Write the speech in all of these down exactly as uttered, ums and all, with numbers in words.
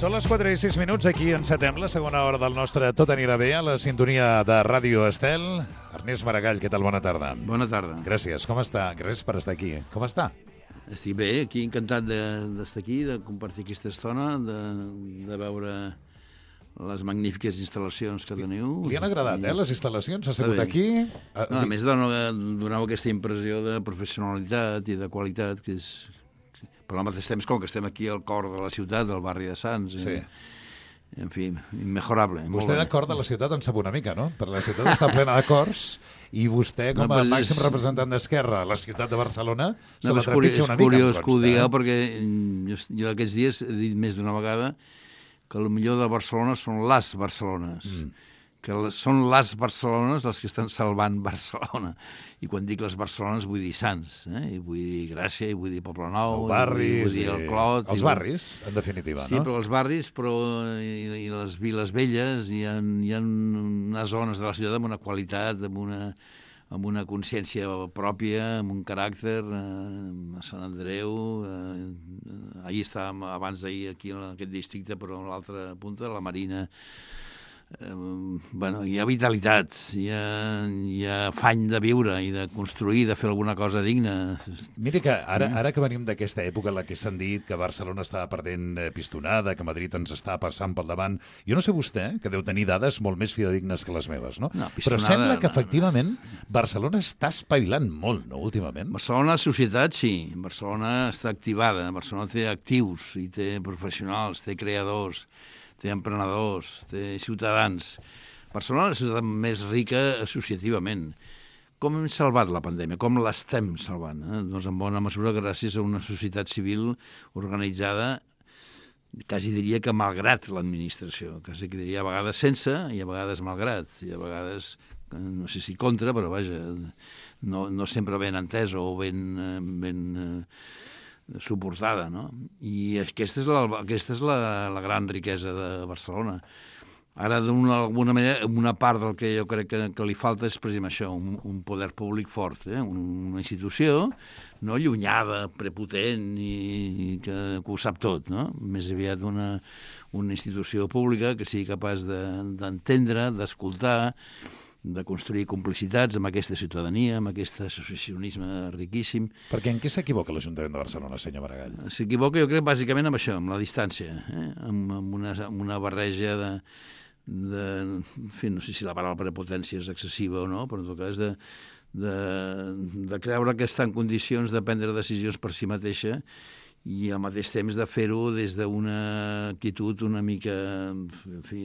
Són les quatre i sis minuts, aquí encetem la segona hora del nostre Tot anirà bé, a la sintonia de Ràdio Estel. Ernest Maragall, què tal? Bona tarda. Bona tarda. Gràcies, com està? Gràcies per estar aquí. Com està? Estic bé, aquí encantat d'estar aquí, de compartir aquesta estona, de, de veure les magnífiques instal·lacions que teniu. Li han agradat, eh, les instal·lacions? Ha sigut aquí? No, a més, doneu aquesta impressió de professionalitat i de qualitat, que és... Però al mateix temps, com que estem aquí al cor de la ciutat, del barri de Sants, sí. En fi, immejorable. Vostè de cor de la ciutat en sap una mica, no? Perquè la ciutat està plena de cors i vostè, com a no, màxim és... representant d'Esquerra a la ciutat de Barcelona, no, se la trepitja una mica. És curiós que ho digueu, perquè jo, jo aquests dies he dit més d'una vegada que el millor de Barcelona són les Barcelones. Mm. que són les Barcelones les que estan salvant Barcelona. I quan dic les Barcelones vull dir Sants, eh? I vull dir Gràcia, i vull dir Poblenou, el barris, i vull dir el Clot... Els barris, en definitiva, sí, no? Sí, però els barris, però i, i les viles velles, hi ha, hi ha unes zones de la ciutat amb una qualitat, amb una, amb una consciència pròpia, amb un caràcter, eh, a Sant Andreu... Eh, ahir estàvem, abans d'ahir, aquí en aquest districte, però a l'altra punta, la Marina... Eh, bueno, hi ha vitalitat, hi ha, hi ha afany de viure i de construir, de fer alguna cosa digna. Mira que ara, ara que venim d'aquesta època en la que s'han dit que Barcelona estava perdent pistonada, que Madrid ens està passant pel davant, jo no sé vostè, que deu tenir dades molt més fidedignes que les meves, no? no Però sembla que efectivament Barcelona està espavilant molt, no, últimament? Barcelona, societat, sí. Barcelona està activada, Barcelona té actius i té professionals, té creadors, té emprenedors, té ciutadans. Barcelona és la ciutat més rica associativament. Com hem salvat la pandèmia? Com l'estem salvant? Eh? Doncs en bona mesura gràcies a una societat civil organitzada, quasi diria que malgrat l'administració, quasi que diria a vegades sense i a vegades malgrat, i a vegades, no sé si contra, però vaja, no, no sempre ben entès o ben... ben suportada, no? I aquesta és la, aquesta és la, la gran riquesa de Barcelona. Ara, d'alguna manera, una part del que jo crec que, que li falta és precisament això, un, un poder públic fort, eh? una institució no allunyada, prepotent i, i que, que ho sap tot, no? Més aviat una, una institució pública que sigui capaç d'entendre, de, d'escoltar, de construir complicitats amb aquesta ciutadania, amb aquest associacionisme riquíssim. Perquè en què s'equivoca l'Ajuntament de Barcelona, senyor Maragall? S'equivoca, jo crec, bàsicament amb això, amb la distància, eh? amb, amb, una, amb una barreja de, de... En fi, no sé si la paraula prepotència és excessiva o no, però en tot cas de, de, de creure que està en condicions de prendre decisions per si mateixa i al mateix temps de fer-ho des d'una actitud una mica... En fi,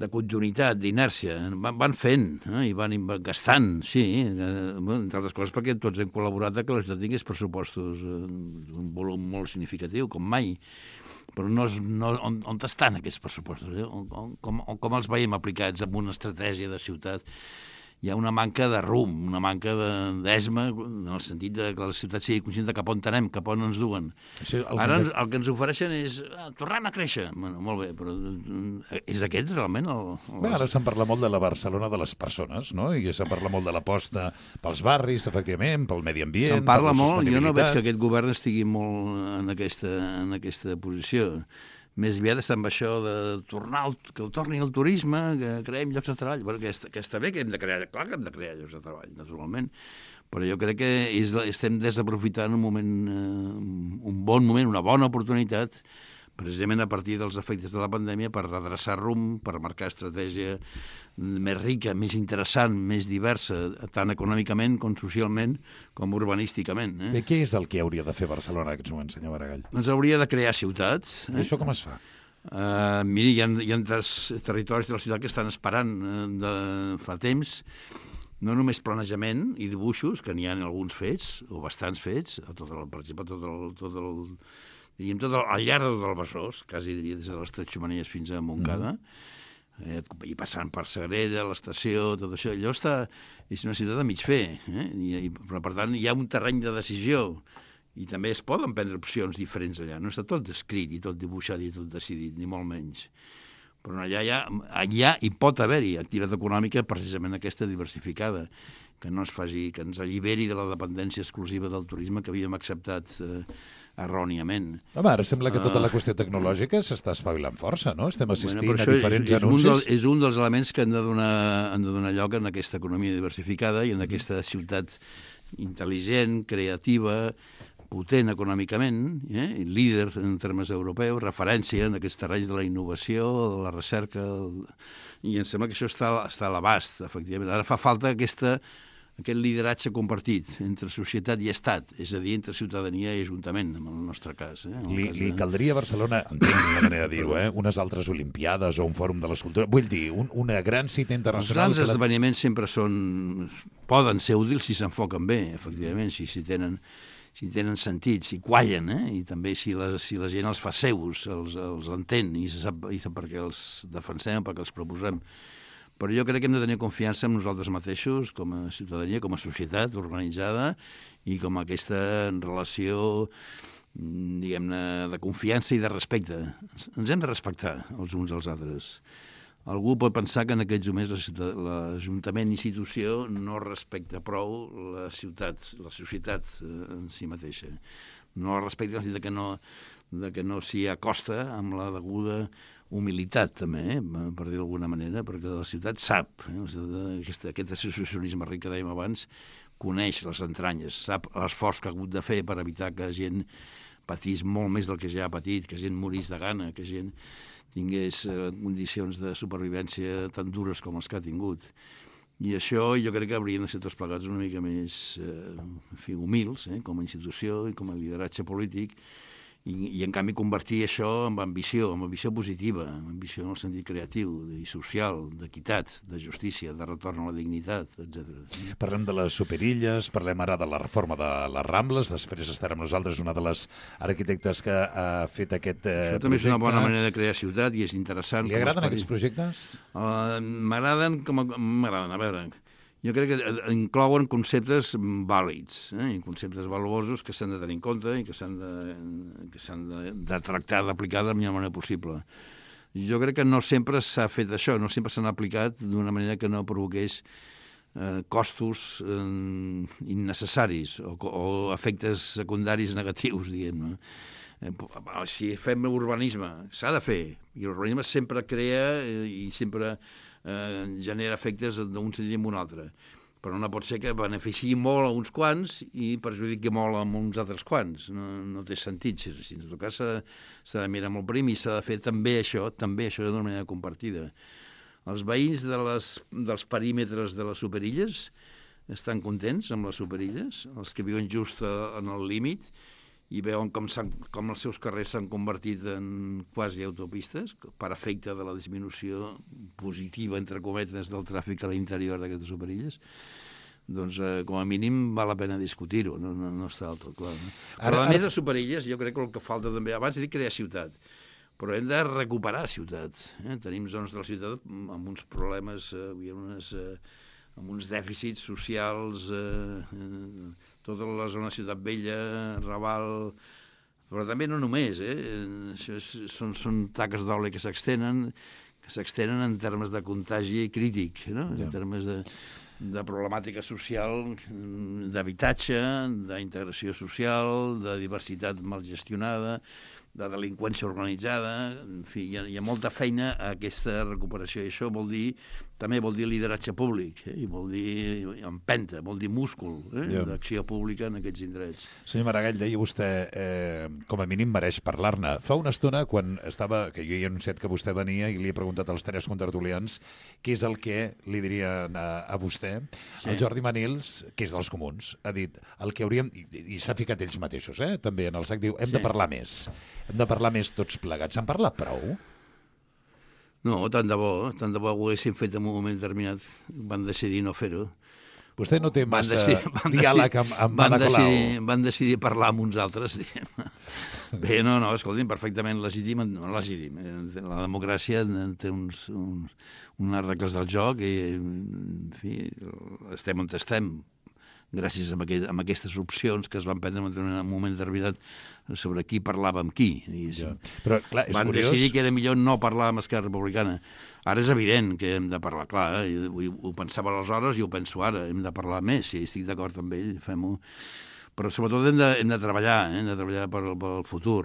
de continuïtat, d'inèrcia. Van, van fent eh? I van gastant, sí, eh? Entre altres coses perquè tots hem col·laborat que la ciutat tingués pressupostos eh, un volum molt significatiu, com mai. Però no, és, no, on, on estan aquests pressupostos? Eh? On, on, com, on, com els veiem aplicats amb una estratègia de ciutat? Hi ha una manca de rumb, una manca d'esma, en el sentit de que la ciutat sigui conscient de cap on anem, cap on ens duen. Això, el Ara que... el que ens ofereixen és ah, tornem a créixer. Bueno, molt bé, però és aquest realment el... el... Bé, ara se'n parla molt de la Barcelona de les persones, no? I se'n parla molt de l'aposta pels barris, efectivament, pel medi ambient... Se'n parla molt, jo no veig que aquest govern estigui molt en aquesta, en aquesta posició. Més aviat està amb això de tornar, al, que el torni al turisme, que creem llocs de treball. Bueno, que, està, que està bé que hem de crear, clar que hem de crear llocs de treball, naturalment, però jo crec que és, estem desaprofitant un moment, eh, un bon moment, una bona oportunitat, precisament a partir dels efectes de la pandèmia, per redreçar rumb, per marcar estratègia més rica, més interessant, més diversa, tant econòmicament com socialment, com urbanísticament. Eh? I què és el que hauria de fer Barcelona en aquests moments, senyor Maragall? Doncs hauria de crear ciutats. Eh? I això com es fa? Uh, miri, hi ha, hi ha tres territoris de la ciutat que estan esperant uh, de fa temps, no només planejament i dibuixos, que n'hi ha alguns fets, o bastants fets, a tot el, per exemple, tot el... Tot el diríem, tot el, al llarg de tot el Besòs, quasi diria des de les Tres Xemeneies fins a Montcada, mm. eh, i passant per Sagrera, l'estació, tot això, allò està, és una ciutat a mig fer, eh? I, i, però per tant hi ha un terreny de decisió, i també es poden prendre opcions diferents allà, no està tot descrit i tot dibuixat i tot decidit, ni molt menys. Però allà, allà, allà hi pot haver-hi activitat econòmica precisament aquesta diversificada, que no es faci, que ens alliberi de la dependència exclusiva del turisme que havíem acceptat eh, erròniament. Home, ara sembla que tota la qüestió tecnològica s'està espavilant força, no? Estem assistint bueno, a diferents és, és anuncis. Un del, és un dels elements que han de, donar, han de donar lloc en aquesta economia diversificada i en aquesta ciutat intel·ligent, creativa, potent econòmicament, eh? líder en termes europeus, referència en aquests terrenys de la innovació, de la recerca, i em sembla que això està, està a l'abast, efectivament. Ara fa falta aquesta, aquest lideratge compartit entre societat i estat, és a dir, entre ciutadania i ajuntament, en el nostre cas. Eh? Li, cas de... li caldria a Barcelona, entenc la manera de dir-ho, eh? unes altres Olimpiades o un fòrum de l'escultura, vull dir, un, una gran cita internacional... Els grans que la... esdeveniments sempre són, poden ser útils si s'enfoquen bé, efectivament, si, si tenen... si tenen sentit, si quallen, eh? I també si la, si la gent els fa seus, els, els entén i sap, i sap per què els defensem, per què els proposem. Però jo crec que hem de tenir confiança en nosaltres mateixos, com a ciutadania, com a societat organitzada, i com a aquesta relació, diguem-ne, de confiança i de respecte. Ens hem de respectar els uns als altres. Algú pot pensar que en aquests moments l'Ajuntament institució no respecta prou la ciutat, la societat en si mateixa. No la respecta en el sentit que no, de que no s'hi acosta amb la deguda humilitat, també, eh? per dir d'alguna manera, perquè la ciutat sap, eh? aquest, aquest associacionisme ric que dèiem abans, coneix les entranyes, sap l'esforç que ha hagut de fer per evitar que gent patís molt més del que ja ha patit, que gent morís de gana, que gent tingués eh, condicions de supervivència tan dures com els que ha tingut. I això jo crec que haurien de ser tots plegats una mica més eh, en fi, humils, eh, com a institució i com a lideratge polític, i, i en canvi convertir això en ambició, en ambició positiva, en ambició en el sentit creatiu i social, d'equitat, de justícia, de retorn a la dignitat, etcètera. Parlem de les superilles, parlem ara de la reforma de les Rambles, després estarà amb nosaltres una de les arquitectes que ha fet aquest eh, això també projecte. És una bona manera de crear ciutat i és interessant. Li agraden aquests projectes? Uh, m'agraden, com a... m'agraden, a veure... Jo crec que inclouen conceptes vàlids, eh? conceptes valuosos que s'han de tenir en compte i que s'han de, que s'han de, de tractar, d'aplicar de la millor manera possible. Jo crec que no sempre s'ha fet això, no sempre s'han aplicat d'una manera que no provoqués eh, costos eh, innecessaris o, o efectes secundaris negatius, diguem-ne. Eh, si fem urbanisme, s'ha de fer, i l'urbanisme sempre crea eh, i sempre... Eh, genera efectes d'un sentit en un altre. Però no pot ser que beneficiï molt a uns quants i perjudiqui molt a uns altres quants. No, no té sentit. Si, si en tot cas s'ha de mirar molt prim i s'ha de fer també això, també això d'una manera compartida. Els veïns de les, dels perímetres de les superilles estan contents amb les superilles, els que viuen just en el límit, i veuen com, com els seus carrers s'han convertit en quasi autopistes per efecte de la disminució positiva, entre cometes, del tràfic a l'interior d'aquestes superilles, doncs eh, com a mínim val la pena discutir-ho, no, no, no està del tot clar. No? Però a més de superilles, jo crec que el que falta també, abans he dit crear ciutat, però hem de recuperar ciutat. Eh? Tenim zones de la ciutat amb uns problemes, eh, unes, eh, amb uns dèficits socials... Eh, eh, tota la zona Ciutat Vella, Raval, però també no només, eh? Això és, són, són taques d'oli que s'extenen, que s'extenen en termes de contagi crític, no? Ja. En termes de, de problemàtica social, d'habitatge, d'integració social, de diversitat mal gestionada, de delinqüència organitzada, en fi, hi ha, hi ha molta feina a aquesta recuperació, i això vol dir, també vol dir lideratge públic, eh? I vol dir empenta, vol dir múscul, eh? Yeah. D'acció pública en aquests indrets. Senyor Maragall, deia vostè, eh, com a mínim mereix parlar-ne. Fa una estona, quan estava, que jo hi he anunciat que vostè venia i li he preguntat als tres contertulians què és el que li dirien a, a vostè, sí. El Jordi Manils, que és dels comuns, ha dit el que hauríem, i, i s'ha ficat ells mateixos, eh? També en el sac, diu, hem sí. de parlar més. Hem de parlar més tots plegats. S'han parlat prou? No, tant de bo, tant de bo ho haguessin fet en un moment determinat. Van decidir no fer-ho. Vostè no té massa van decidir, van diàleg amb, amb van Ada Colau. Decidir, van decidir parlar amb uns altres. Bé, no, no, escolti'm, perfectament legítim. No, legítim. La democràcia té uns, uns, unes regles del joc i, en fi, estem on estem, gràcies a, aquest, a aquestes opcions que es van prendre en un moment determinat sobre qui parlava amb qui. Ja. Però, clar, és van curiós... decidir que era millor no parlar amb Esquerra Republicana. Ara és evident que hem de parlar, clar, eh? ho, ho pensava aleshores i ho penso ara, hem de parlar més, si estic d'acord amb ell, fem-ho. però sobretot hem de, hem de treballar, eh? hem de treballar per, per el futur.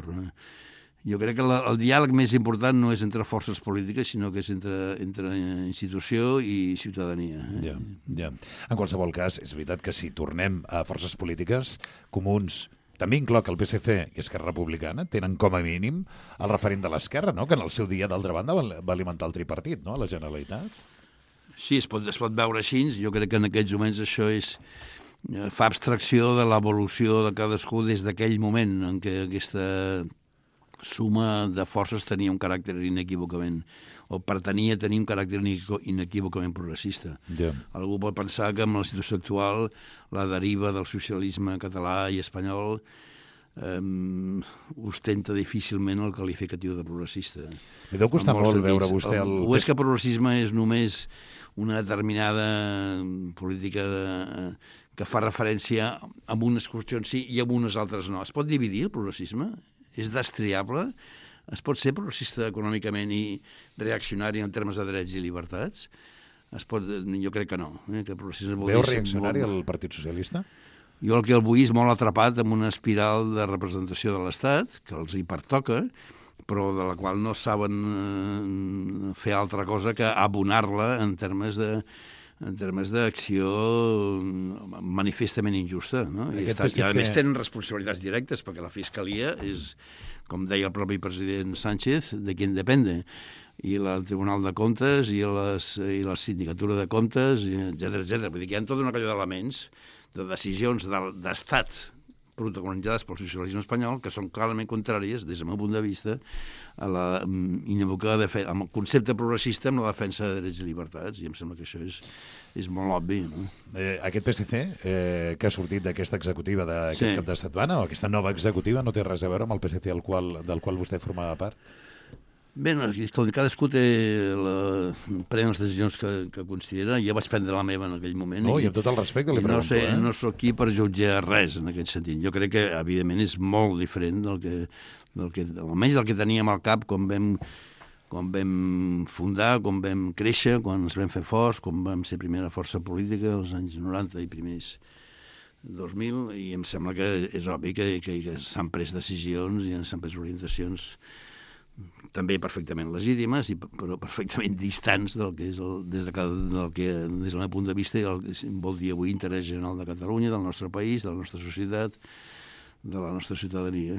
Jo crec que la, el diàleg més important no és entre forces polítiques, sinó que és entre, entre institució i ciutadania. Eh? Ja, ja. En qualsevol cas, és veritat que si tornem a forces polítiques, Comuns, també incloc el P S C i Esquerra Republicana, tenen com a mínim el referent de l'esquerra, no? Que en el seu dia, d'altra banda, va alimentar el tripartit, no? A la Generalitat. Sí, es pot, es pot veure així. Jo crec que en aquests moments això és... fa abstracció de l'evolució de cadascú des d'aquell moment en què aquesta suma de forces tenia un caràcter inequívocament, o pretenia tenir un caràcter inequívocament progressista. Yeah. Algú pot pensar que amb la situació actual la deriva del socialisme català i espanyol um, ostenta difícilment el qualificatiu de progressista. Li deu costar molt sentits. Veure vostè el... O és que progressisme és només una determinada política de, que fa referència a unes qüestions sí i a unes altres no. Es pot dividir el progressisme? És destriable? Es pot ser progressista econòmicament i reaccionari en termes de drets i llibertats? Es pot... Jo crec que no. Eh? Que Veu reaccionari molt... el Partit Socialista? Jo el que el vull és molt atrapat en una espiral de representació de l'Estat, que els hi pertoca, però de la qual no saben eh, fer altra cosa que abonar-la en termes de en termes d'acció manifestament injusta. No? I, està, I a més tenen responsabilitats directes, perquè la Fiscalia és, com deia el propi president Sánchez, de qui depende, i el Tribunal de Comptes, i, les, i la Sindicatura de Comptes, etcètera, etcètera. Vull dir que hi ha tota una colla d'elements, de decisions d'estat protagonitzades pel socialisme espanyol, que són clarament contràries, des del meu punt de vista, a la inevocada defen- amb el concepte progressista amb la defensa de drets i llibertats, i em sembla que això és, és molt obvi. No? Eh, aquest P S C, eh, que ha sortit d'aquesta executiva d'aquest sí. cap de setmana, o aquesta nova executiva, no té res a veure amb el P S C del qual, del qual vostè formava part? Bé, no, cadascú té la... pren les decisions que, que considera. Jo vaig prendre la meva en aquell moment. No, i, i amb tot el respecte li pregunto. No sé, eh? no soc aquí per jutjar res en aquest sentit. Jo crec que, evidentment, és molt diferent del que, del que almenys del que teníem al cap quan vam, quan vam fundar, quan vam créixer, quan ens vam fer forts, quan vam ser primera força política als anys noranta i primers dos mil, i em sembla que és obvi que, que, que s'han pres decisions i s'han pres orientacions també perfectament legítimes, i, però perfectament distants del que és el, des, de, del que, des del meu punt de vista, el que vol dir avui interès general de Catalunya, del nostre país, de la nostra societat, de la nostra ciutadania.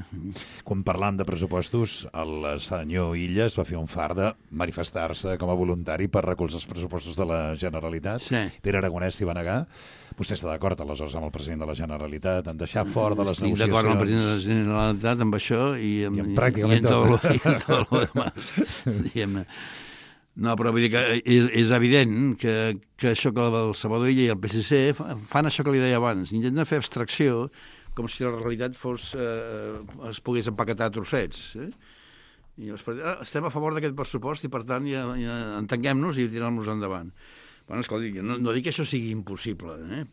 Quan parlam de pressupostos, el senyor Illas va fer un far de manifestar-se com a voluntari per recolzar els pressupostos de la Generalitat. Sí. Pere Aragonès s'hi va negar. Vostè està d'acord, aleshores, amb el president de la Generalitat, en deixar fora de les Estic negociacions? Estic d'acord amb el president de la Generalitat, amb això, i, amb, I, amb pràcticament i, en tot, tot. I en tot el demás, diguem-ne. No, però vull dir que és, és evident que, que això que el Salvador Illa i el P S C fan això que li deia abans, intenten fer abstracció com si la realitat fos, eh, es pogués empaquetar a trossets. Eh? I llavors, ah, estem a favor d'aquest pressupost i, per tant, ja, ja entenguem-nos i tirem-nos endavant. Bueno, escolti, no, no dic que això sigui impossible, eh?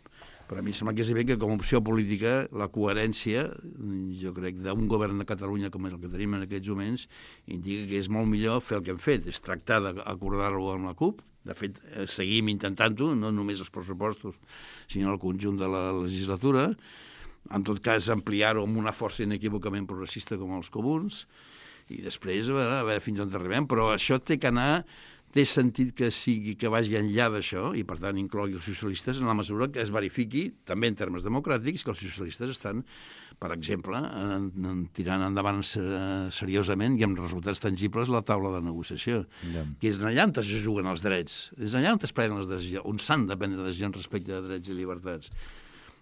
però a mi sembla que és evident que com a opció política la coherència, jo crec, d'un govern de Catalunya com és el que tenim en aquests moments, indica que és molt millor fer el que hem fet, és tractar d'acordar-ho amb la CUP. De fet, seguim intentant-ho, no només els pressupostos, sinó el conjunt de la legislatura. En tot cas, ampliar-ho amb una força inequívocament progressista com els comuns, i després a veure, a veure fins on arribem. Però això té que anar, té sentit que sigui que vagi enllà d'això, i per tant inclogui els socialistes en la mesura que es verifiqui, també en termes democràtics, que els socialistes estan, per exemple, en, en, tirant endavant seriosament i amb resultats tangibles la taula de negociació, yeah. que és allà on es juguen els drets, és allà on es prenen les decisions, on s'han de prendre decisions respecte a drets i llibertats.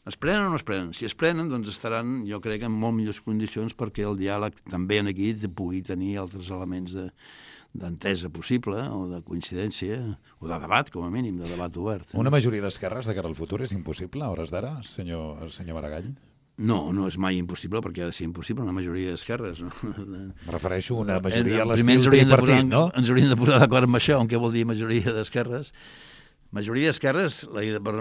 Es prenen o no es prenen? Si es prenen, doncs estaran, jo crec, en molt millors condicions perquè el diàleg també en aquí pugui tenir altres elements de, d'entesa possible, o de coincidència, o de debat, com a mínim, de debat obert. Eh? Una majoria d'esquerres de cara al futur és impossible, a hores d'ara, senyor, senyor Maragall? No, no és mai impossible, perquè ha de ser impossible una majoria d'esquerres. No? Me refereixo a una majoria a l'estil tripartit, no? Ens hauríem de posar d'acord amb això, on què vol dir majoria d'esquerres. Majoria d'esquerres... La... Per...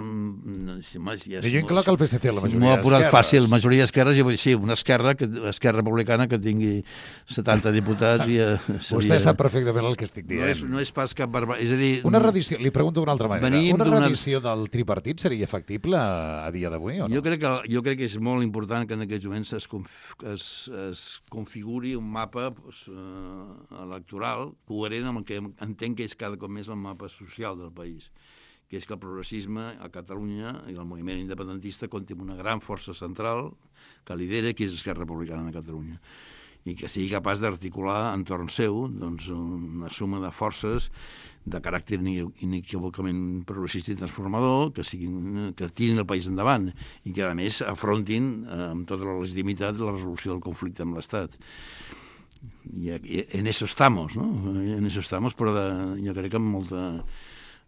Si ja jo incloc el P S C, la majoria d'esquerres. M'ho ha posat fàcil, majoria d'esquerres, jo vull dir, sí, una esquerra, que, esquerra republicana que tingui setanta diputats i... Eh, seria... Vostè sap perfectament el que estic dient. No és, no és pas cap barba... És a dir... Una redició, li pregunto d'una altra manera, una redició del tripartit seria factible a dia d'avui o no? Jo crec, que, jo crec que és molt important que en aquests moments es, conf... es, es configuri un mapa pues, uh, electoral coherent amb el que entenc que és cada cop més el mapa social del país, que és que el progressisme a Catalunya i el moviment independentista compta amb una gran força central que lidera, que és Esquerra Republicana de Catalunya, i que sigui capaç d'articular entorn seu doncs, una suma de forces de caràcter inequívocament progressista i transformador que, siguin, que tirin el país endavant i que, a més, afrontin eh, amb tota la legitimitat la resolució del conflicte amb l'Estat. I, i en eso estamos, no? En eso estamos, però de, jo crec que amb molta...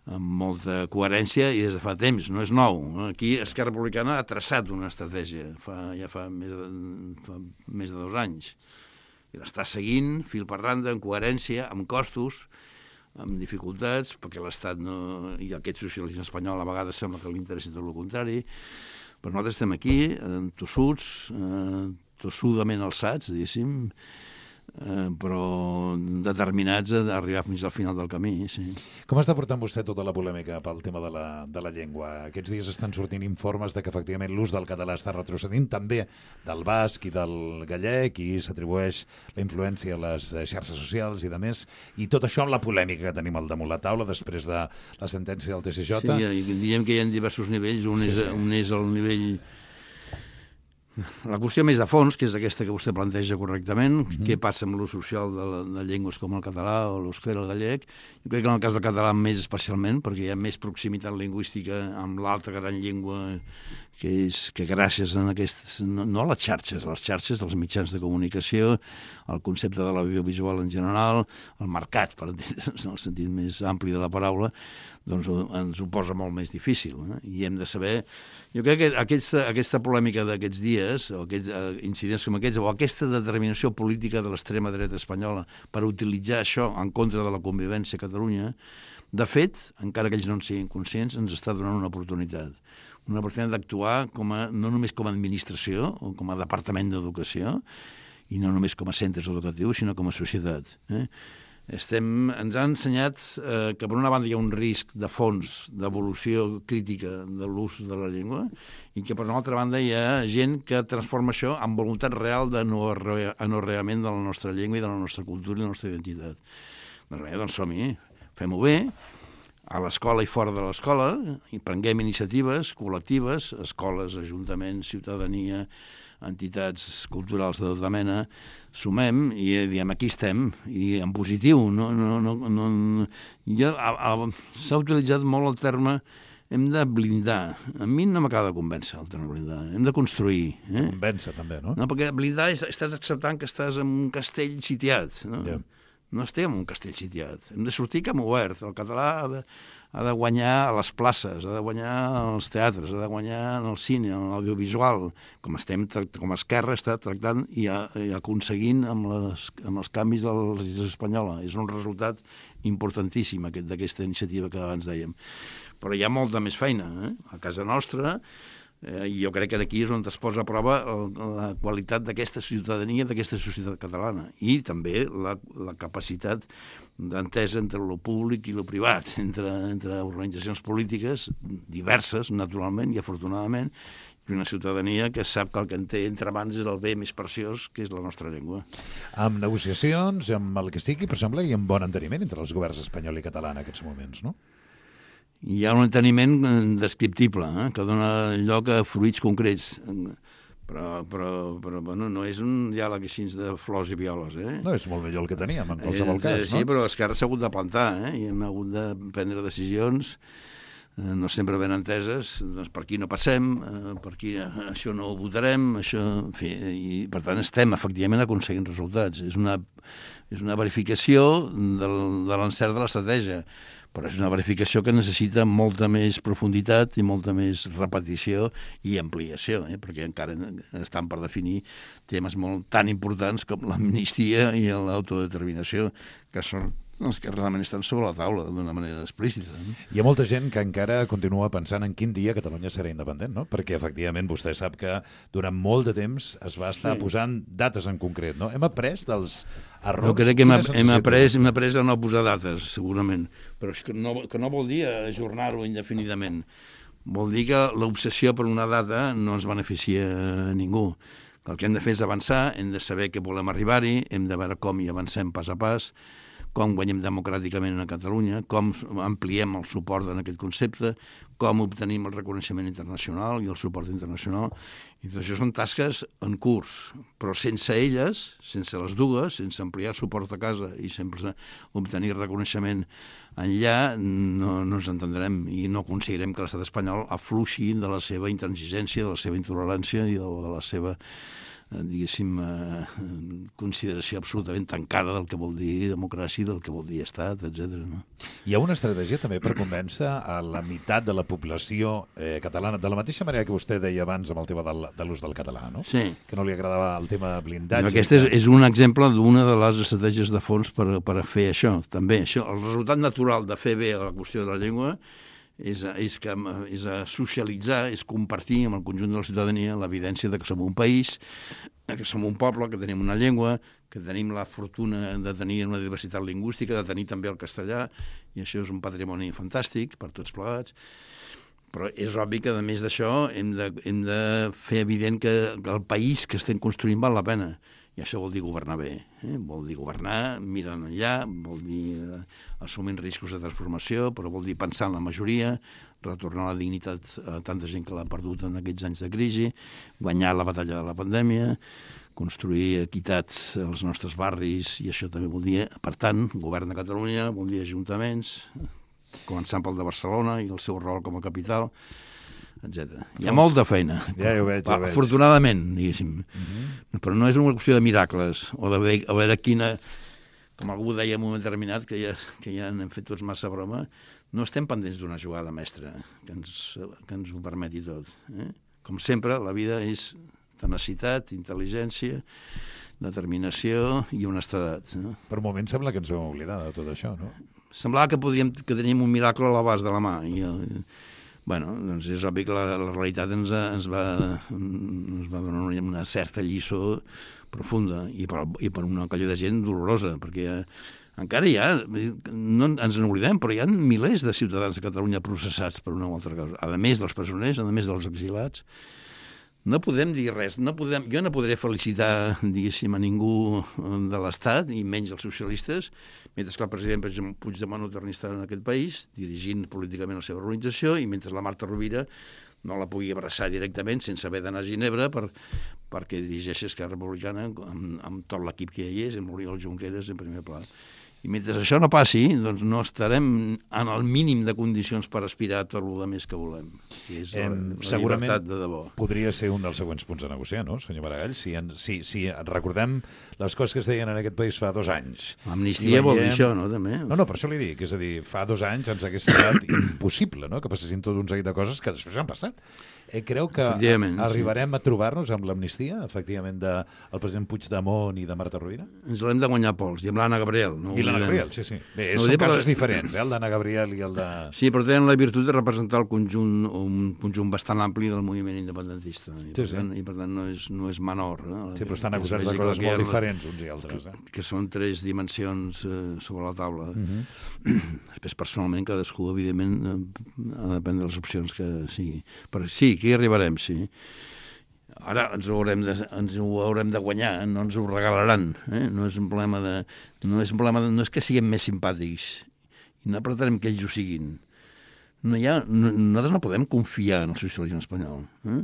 amb molta coherència i des de fa temps, no és nou. Aquí Esquerra Republicana ha traçat una estratègia fa, ja fa més, de, fa més de dos anys. I l'està seguint, fil per randa, amb coherència, amb costos, amb dificultats, perquè l'Estat no... i aquest socialisme espanyol a vegades sembla que li interessi tot el contrari. Però nosaltres estem aquí, tossuts, eh, tossudament alçats, diguéssim, Eh, però determinats a arribar fins al final del camí, sí. Com està portant vostè tota la polèmica pel tema de la, de la llengua? Aquests dies estan sortint informes de que efectivament l'ús del català està retrocedint, també del basc i del gallec, i s'atribueix la influència a les xarxes socials i de més, i tot això amb la polèmica que tenim al damunt la taula després de la sentència del T C J. Sí, diguem que hi ha diversos nivells, un, sí, és, sí. un és el nivell... La qüestió més de fons, que és aquesta que vostè planteja correctament, mm-hmm. què passa amb l'ús social de, de llengües com el català o l'eusquera, el gallec, jo crec que en el cas del català més especialment, perquè hi ha més proximitat lingüística amb l'altra gran llengua, que és que gràcies a aquestes, no, no a les xarxes, a les xarxes dels mitjans de comunicació, al concepte de l'audiovisual en general, el mercat, per entendre's, en el sentit més ampli de la paraula, doncs ens ho posa molt més difícil. Eh? I hem de saber... Jo crec que aquesta, aquesta polèmica d'aquests dies, o aquests uh, incidents com aquests, o aquesta determinació política de l'extrema dreta espanyola per utilitzar això en contra de la convivència a Catalunya, de fet, encara que ells no en siguin conscients, ens està donant una oportunitat. Una oportunitat d'actuar com a, no només com a administració o com a departament d'educació, i no només com a centres educatius, sinó com a societat. Eh? Estem, ens ha ensenyat eh, que per una banda hi ha un risc de fons d'evolució crítica de l'ús de la llengua i que per una altra banda hi ha gent que transforma això en voluntat real d'anorreament de la nostra llengua i de la nostra cultura i de la nostra identitat. Doncs bé, doncs som-hi, fem-ho bé, a l'escola i fora de l'escola, i prenguem iniciatives col·lectives, escoles, ajuntaments, ciutadania, entitats culturals de tota mena, sumem i diem aquí estem, i en positiu. No, no, no, no, jo, a, a, s'ha utilitzat molt el terme hem de blindar. A mi no m'acaba de convèncer el terme blindar. Hem de construir. Eh? Convèncer també, no? No, perquè blindar és, estàs acceptant que estàs en un castell sitiat. No, yeah. no estem en un castell sitiat. Hem de sortir camp obert. El català ha de, ha de guanyar a les places, ha de guanyar als teatres, ha de guanyar en el cine, en l'audiovisual, com estem com a Esquerra està tractant i, a, i aconseguint amb, les, amb els canvis de la legislació espanyola. És un resultat importantíssim aquest, d'aquesta iniciativa que abans dèiem. Però hi ha molta més feina. Eh? A casa nostra, eh, i jo crec que aquí és on es posa a prova el, la qualitat d'aquesta ciutadania, d'aquesta societat catalana, i també la, la capacitat d'entesa entre lo públic i lo privat, entre, entre organitzacions polítiques diverses, naturalment i afortunadament, i una ciutadania que sap que el que en té entre mans és el bé més preciós, que és la nostra llengua. Amb negociacions, amb el que sigui, per exemple, i amb bon enteniment entre els governs espanyol i català en aquests moments, no? Hi ha un enteniment descriptible, eh, que dona lloc a fruits concrets. Però, però, però bueno, no és un diàleg així de flors i violes. Eh? No, és molt millor el que teníem, en qualsevol cas, eh, sí, no? Sí, però l'Esquerra s'ha hagut de plantar, eh? I hem hagut de prendre decisions, eh, no sempre ben enteses, doncs per aquí no passem, eh, per aquí eh, això no ho votarem, això, en fi, i per tant estem efectivament aconseguint resultats. És una, és una verificació del, de l'encert de l'estratègia, però és una verificació que necessita molta més profunditat i molta més repetició i ampliació, eh? Perquè encara estan per definir temes molt tan importants com l'amnistia i l'autodeterminació, que són Els que realment estan sobre la taula d'una manera explícita. No? Hi ha molta gent que encara continua pensant en quin dia Catalunya serà independent, no? Perquè, efectivament, vostè sap que durant molt de temps es va estar sí. posant dates en concret, no? Hem après dels errors? Jo crec que hem, hem, après, hem après a no posar dates, segurament, però és que no, que no vol dir ajornar-ho indefinidament. Vol dir que l'obsessió per una data no ens beneficia a ningú. El que hem de fer és avançar, hem de saber que volem arribar-hi, hem de veure com hi avancem pas a pas, com guanyem democràticament a Catalunya, com ampliem el suport en aquest concepte, com obtenim el reconeixement internacional i el suport internacional. I tot això són tasques en curs, però sense elles, sense les dues, sense ampliar suport a casa i sempre obtenir reconeixement enllà, no, no ens entendrem i no aconseguirem que l'estat espanyol afluixi de la seva intransigència, de la seva intolerància i de, de la seva diguéssim, eh, consideració absolutament tancada del que vol dir democràcia, del que vol dir estat, etcètera. No? Hi ha una estratègia també per convèncer a la meitat de la població eh, catalana, de la mateixa manera que vostè deia abans amb el tema del, de l'ús del català, no? Sí. Que no li agradava el tema blindatge. No, aquest és, és un exemple d'una de les estratègies de fons per, per fer això, també. Això, el resultat natural de fer bé la qüestió de la llengua és, és, que, és a socialitzar, és compartir amb el conjunt de la ciutadania l'evidència de que som un país, que som un poble, que tenim una llengua, que tenim la fortuna de tenir una diversitat lingüística, de tenir també el castellà, i això és un patrimoni fantàstic per tots plegats. Però és obvi que, a més d'això, hem de, hem de fer evident que el país que estem construint val la pena. I això vol dir governar bé, eh? Vol dir governar mirant enllà, vol dir eh, assumint riscos de transformació, però vol dir pensar en la majoria, retornar la dignitat a tanta gent que l'ha perdut en aquests anys de crisi, guanyar la batalla de la pandèmia, construir equitats als nostres barris, i això també vol dir, per tant, govern de Catalunya, vol dir ajuntaments, començant pel de Barcelona i el seu rol com a capital, etcètera. Hi ha molta feina. Ja ho veig, ja ho veig. Afortunadament, diguéssim. Uh-huh. Però no és una qüestió de miracles, o de veure, a veure quina... Com algú deia en un moment determinat, que ja, que ja n'hem fet tots massa broma, no estem pendents d'una jugada mestra que ens, que ens ho permeti tot. Eh? Com sempre, la vida és tenacitat, intel·ligència, determinació i honestedat. No? Per un moment sembla que ens vam oblidar de tot això, no? Semblava que podíem, que teníem un miracle a l'abast de la mà, i... Bueno, doncs és obvi que la, la realitat ens, ens, va, ens va donar una, una certa lliçó profunda i per, i per una colla de gent dolorosa, perquè eh, encara hi ha, no ens n'oblidem, però hi ha milers de ciutadans de Catalunya processats per una o altra causa, a més dels presoners, a més dels exilats. No podem dir res, no podem, jo no podré felicitar, diguéssim, a ningú de l'Estat, i menys els socialistes, mentre que el president Puigdemont no torni a estar en aquest país, dirigint políticament la seva organització, i mentre la Marta Rovira no la pugui abraçar directament sense haver d'anar a Ginebra per, perquè dirigeixi Esquerra Republicana amb, amb tot l'equip que hi és, amb l'Oriol Junqueras en primer pla. I mentre això no passi, doncs no estarem en el mínim de condicions per aspirar a tot el que més que volem, que és la, la llibertat de debò. Podria ser un dels següents punts a negociar, no, senyor Maragall? Si, en, si, si recordem les coses que es deien en aquest país fa dos anys. L'amnistia veiem... vol dir això, no, també? No, no, per això li dic. És a dir, fa dos anys ens hagués semblat impossible, no?, que passessin tot un seguit de coses que després han passat. Eh, creu que arribarem sí. a trobar-nos amb l'amnistia, efectivament, del de president Puigdemont i de Marta Rovira? Ens l'hem de guanyar pols, i amb l'Anna Gabriel. No I l'Anna Gabriel, sí, sí. Bé, no, són casos però... diferents, eh, el d'Anna Gabriel i el de... Sí, però tenen la virtut de representar el conjunt, un conjunt bastant ampli del moviment independentista. I, sí, per, tant, sí. i per tant no és, no és menor. Eh? Sí, però estan acusats de coses molt diferents uns i altres. Eh? Que, que són tres dimensions eh, sobre la taula. Uh -huh. Després, personalment, cadascú, evidentment, eh, ha de prendre les opcions que sigui. Però sí, que hi arribarem, sí. Ara ens ho haurem de, ens ho haurem de guanyar, no ens ho regalaran. Eh? No és un problema de... No és un problema de, no és que siguem més simpàtics, i no pretenem que ells ho siguin. No hi ha, no, nosaltres no podem confiar en el socialisme espanyol. Eh?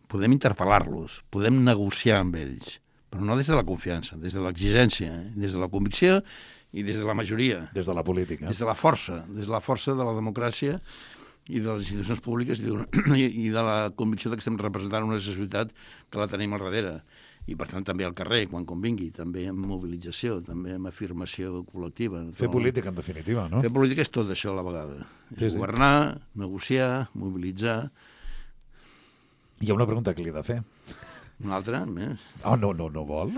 Podem interpel·lar-los, podem negociar amb ells, però no des de la confiança, des de l'exigència, eh? Des de la convicció i des de la majoria. Des de la política. Des de la força, des de la força de la democràcia i de les institucions públiques i de la convicció de que estem representant una societat que la tenim al darrere. I, per tant, també al carrer, quan convingui, també amb mobilització, també amb afirmació col·lectiva. Fer política, en definitiva, no? Fer política és tot això a la vegada. Sí, és sí. Governar, negociar, mobilitzar... Hi ha una pregunta que li he de fer. Una altra, més. Oh, no, no, no vol?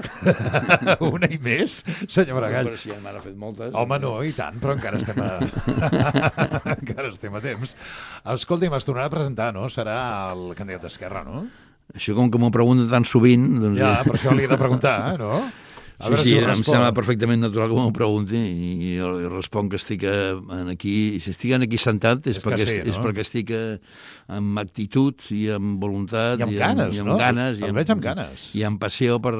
Una i més, senyor Maragall? Però si ja m'han fet moltes. Home, no, i tant, però encara estem a... encara estem a temps. Escolti'm, es tornarà a presentar, no? Serà el candidat d'Esquerra, no? Això com que m'ho pregunten tan sovint... Doncs ja, per això li he de preguntar, eh, no? A sí, sí, si em sembla perfectament natural que m'ho pregunti i jo li responc que estic aquí, si estic aquí sentat és, és, perquè, sí, no? és perquè estic amb actitud i amb voluntat i amb ganes, i amb, no? ganes, el i amb, veig amb ganes i amb passió per,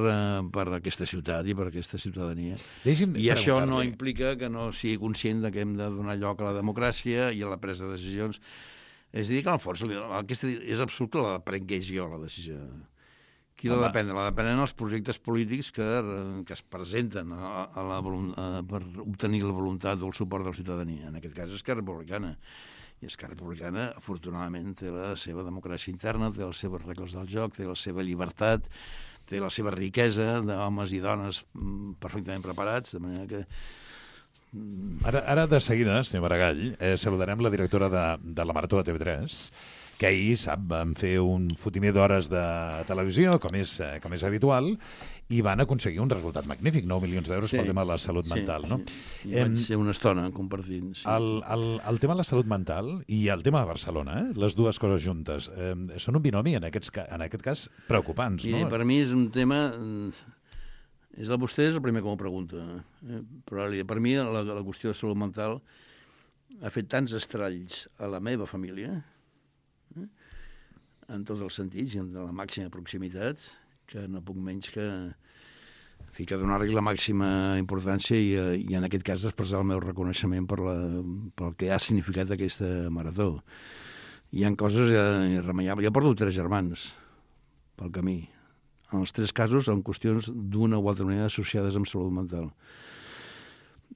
per aquesta ciutat i per aquesta ciutadania. Deixi'm i això no implica que no sigui conscient de que hem de donar lloc a la democràcia i a la presa de decisions. És a dir, que en el fons aquesta, és absurd que la prengués jo, la decisió. Qui la depèn? La depenen els projectes polítics que, que es presenten a, a la, a, per obtenir la voluntat o el suport de la ciutadania. En aquest cas, Esquerra Republicana. I Esquerra Republicana, afortunadament, té la seva democràcia interna, té les seves regles del joc, té la seva llibertat, té la seva riquesa d'homes i dones perfectament preparats, de manera que... Ara, ara de seguida, senyor Maragall, eh, saludarem la directora de, de la Marató de T V tres, que ahir, sap, van fer un fotimer d'hores de televisió, com és, com és habitual, i van aconseguir un resultat magnífic, nou milions d'euros sí, pel tema de la salut sí, mental. No? Sí. I vaig ser una estona compartint. Sí. El, el, el tema de la salut mental i el tema de Barcelona, eh? Les dues coses juntes, eh, són un binomi, en, aquests, en aquest cas, preocupants. Mire, no? Per mi és un tema... És el vostè és el primer que m'ho pregunta. Eh? Però per mi la, la qüestió de salut mental ha fet tants estralls a la meva família, eh? en tots els sentits i en la màxima proximitat, que no puc menys que, en fi, que donar-li la màxima importància i, i en aquest cas expressar el meu reconeixement per la, pel que ha significat aquesta marató. Hi ha coses irremeiables. Jo porto tres germans pel camí. En els tres casos són qüestions d'una o altra manera associades amb salut mental.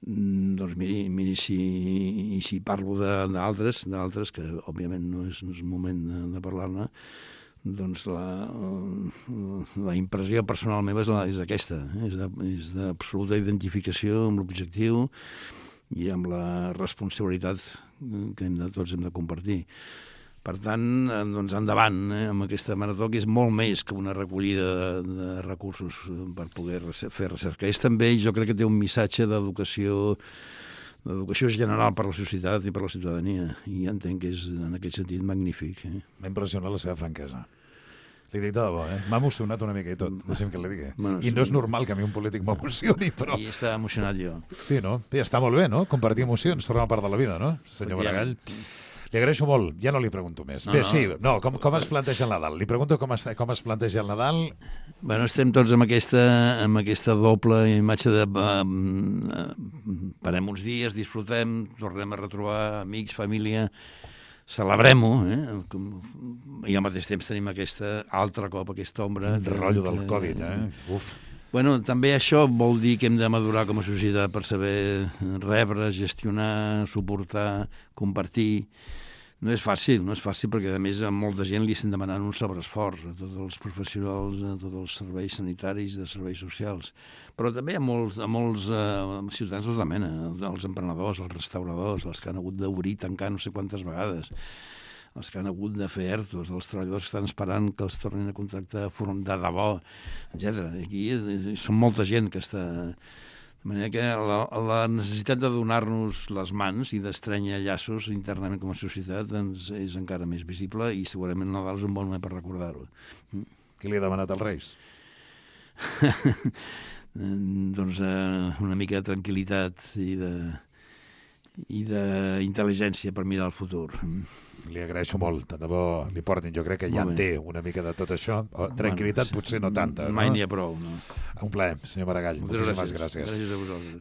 Doncs miri, miri si, si parlo d'altres, d'altres, que òbviament no és, no és moment de, de parlar-ne, doncs la, la impressió personal meva és, la, és aquesta, eh? és d'absoluta identificació amb l'objectiu i amb la responsabilitat que hem de, tots hem de compartir. Per tant, doncs endavant, eh, amb aquesta marató, que és molt més que una recollida de, de recursos per poder fer recerca. És també, jo crec que té un missatge d'educació d'educació general per a la societat i per a la ciutadania, i entenc que és, en aquest sentit, magnífic. Eh? M'ha impressionat la seva franquesa. Li dic de debò, eh? M'ha emocionat una mica i tot, deixem que li digui. Bueno, I sí. No és normal que a mi un polític m'emocioni, però... I està emocionat jo. Sí, no? I està molt bé, no? Compartir emocions, forma part de la vida, no? Senyor Maragall. Li agraeixo molt, ja no li pregunto més. No, Bé, no. sí, no, com, com es planteja el Nadal? Li pregunto com es, com es planteja el Nadal. Bueno, estem tots amb aquesta, amb aquesta doble imatge de... Uh, parem uns dies, disfrutem, tornem a retrobar amics, família, celebrem-ho, eh? I al mateix temps tenim aquesta altra cop, aquesta ombra... Quin rotllo del Covid, eh? Uf. Bueno, també això vol dir que hem de madurar com a societat per saber rebre, gestionar, suportar, compartir. No és fàcil, no és fàcil perquè, a més, a molta gent li estan demanant un sobreesforç a tots els professionals, a tots els serveis sanitaris, de serveis socials. Però també a molts, a molts uh, ciutadans de tota mena, els emprenedors, els restauradors, els que han hagut d'obrir, tancar no sé quantes vegades, els que han hagut de fer ertos, els treballadors que estan esperant que els tornin a contractar de debò, etcètera. Aquí són molta gent que està... De manera que la, la necessitat de donar-nos les mans i d'estrènyer llaços internament com a societat doncs és encara més visible i segurament el Nadal és un bon moment per recordar-ho. Qui li ha demanat als Reis? Doncs eh, una mica de tranquil·litat i de... i d'intel·ligència per mirar el futur. Li agraeixo molt, de debò li portin, jo crec que ja en té una mica de tot això, tranquil·litat potser no tanta. Mai no? n'hi ha prou, no? Un plaer, senyor Maragall, moltíssimes gràcies. Gràcies a vosaltres.